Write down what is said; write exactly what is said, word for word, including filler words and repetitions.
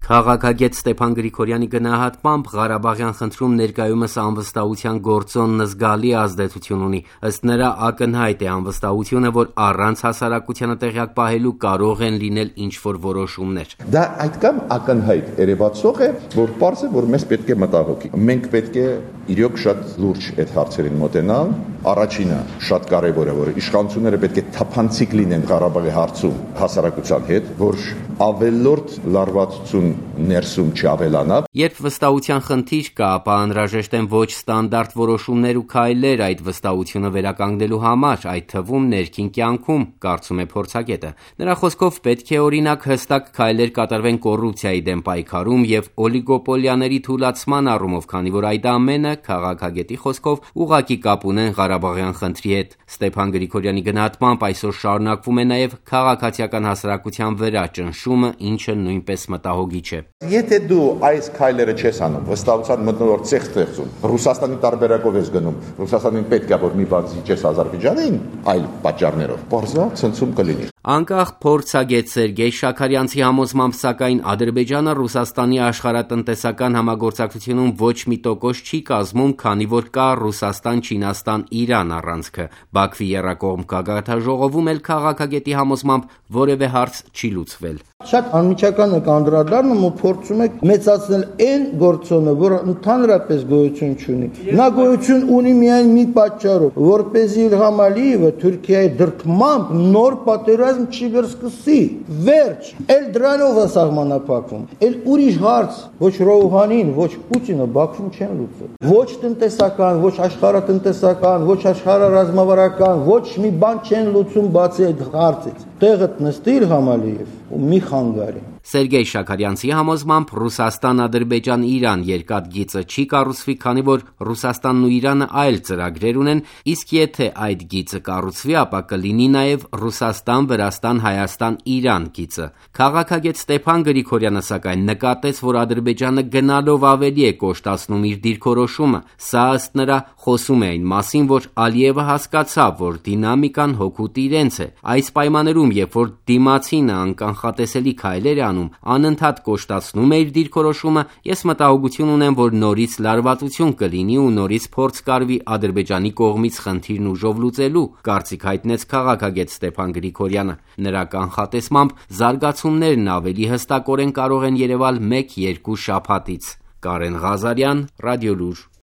Քաղաքագետ Ստեփան Գրիգորյանի գնահատմամբ Ղարաբաղյան խնդրում ներկայումս անվստահության գործոնն զգալի ազդեցություն ունի, ըստ նրա ակնհայտ է անվստահությունը, որ առանց հասարակությանը տեղյակ պահելու կարող են լինել ինչ-որ որոշումներ։ Դա այդքան ակնհայտ երևացող է, որ պարզ է, որ մեզ պետք է մտահոգի։ Մենք պետք է իրոք շատ լուրջ այդ հարցերին մոտենալ։ Առաջինը շատ կարևոր է, որ իշխանությունները պետք է թափանցիկ լինեն Ղարաբաղի հարցում հասարակության հետ, որ ավելորդ լարվածություն ներսում չավելանա։ Երբ վստահության խնդիր կա, ապա անհրաժեշտ են ոչ ստանդարտ որոշումներ ու քայլեր այդ վստահությունը վերականգնելու համար, այդ թվում ներքին կյանքում, կարծում է փորձագետը։ Նրա խոսքով պետք է օրինակ հստակ քայլեր կատարվեն կոռուպցիայի դեմ պայքարում եւ օլիգոպոլիաների թուլացման առումով, քանի որ այդ ամենը քաղաքագետի խոսքով ուղղակի կապ ունեն Ղարաբաղյան խնդրի հետ։ Ստեփան Գրիգորյանի գնահատմամբ այսօր շարունակվում է նաեւ քաղաքացիական հասարակության վրա ճնշումը, ինչը նույնպես մտահոգիչ է։ Եթե դու այս քայլերը չես անում, վստահության մթնոլորտ ցեղ ստեղծում, Ռուսաստանի տարբերակով ես գնում, Ռուսաստանին պետք է որ մի բան զիջես Ադրբեջանին, այլ պատճառներով, բարձա ցնցում կլինի։ Անկախ փորձագետ Սերգեյ Շաքարյանցի համոզմամբ, սակայն Ադրբեջանը Ռուսաստանի աշխարհատնտեսական համագործակցությունում ոչ մի տոկոս չի կազմում, քանի որ կա Ռուսաստան-Չինաստան-Իրան առանցքը։ Բաքվի եռակողմ գագաթնաժողովում էլ քաղաքագետի համոզմամբ որևէ հարց չի լուծվել։ Շատ անմիջական եք անդրադառնում ու փորձում եք մեծացնել այն գործոնը, որը ընդհանրապես գոյություն չունի։ Նա գոյություն ունի միայն մի պատճառով, որպեսզի Իլհամ Ալիևը Թուրքիայի դրդմամբ նոր պատերազմ չի վերսկսի։ Վերջ, էլ դրանով է սահմանափակվում։ Էլ ուրիշ հարց, ոչ Ռոուհանին, ոչ Պուտինը Բաքվում չեն լուծել։ Ոչ տնտեսական, ոչ աշխարհատնտեսական, ոչ աշխարհառազմավարական, ոչ մի բան չեն լուծում բացի այդ հարցից։ Տեղը նստի Իլհամ Ալիև ու մի խանգարի։ Սերգեյ Շաքարյանցի համոզմամբ Ռուսաստան-Ադրբեջան-Իրան երկաթգիծը չի կառուցվի, քանի որ Ռուսաստանն ու Իրանը այլ ծրագրեր ունեն, իսկ եթե այդ գիծը կառուցվի, ապա կլինի նաև Ռուսաստան-Վրաստան-Հայաստան-Իրան գիծը։ Քաղաքագետ Ստեփան Գրիգորյանը սակայն նկատեց, որ Ադրբեջանը գնալով ավելի է կոշտացնում իր դիրքորոշումը։ Սա ըստ նրա խոսում է այն մասին, որ Ալիևը հասկացավ, որ դինամիկան հօգուտ իրենց է։ Այս պայմաններում, երբ որ դիմացինը անկանխատեսելի քայլեր է անում, անընդհատ կոշտացնում է իր դիրքորոշումը, ես մտահոգություն ունեմ, որ նորից լարվածություն կլինի ու նորից փորձ կարվի Ադրբեջանի կողմից խնդիրն ուժով լուծելու, կարծիք հայտնեց քաղաքագետ Ստեփան Գրիգորյանը։ Նրա կանխատեսմամբ զարգացումներն ավելի հստակորեն կարող են երևալ մեկ-երկու շաբաթից։ Կարեն Ղազարյան, Ռադիոլուր։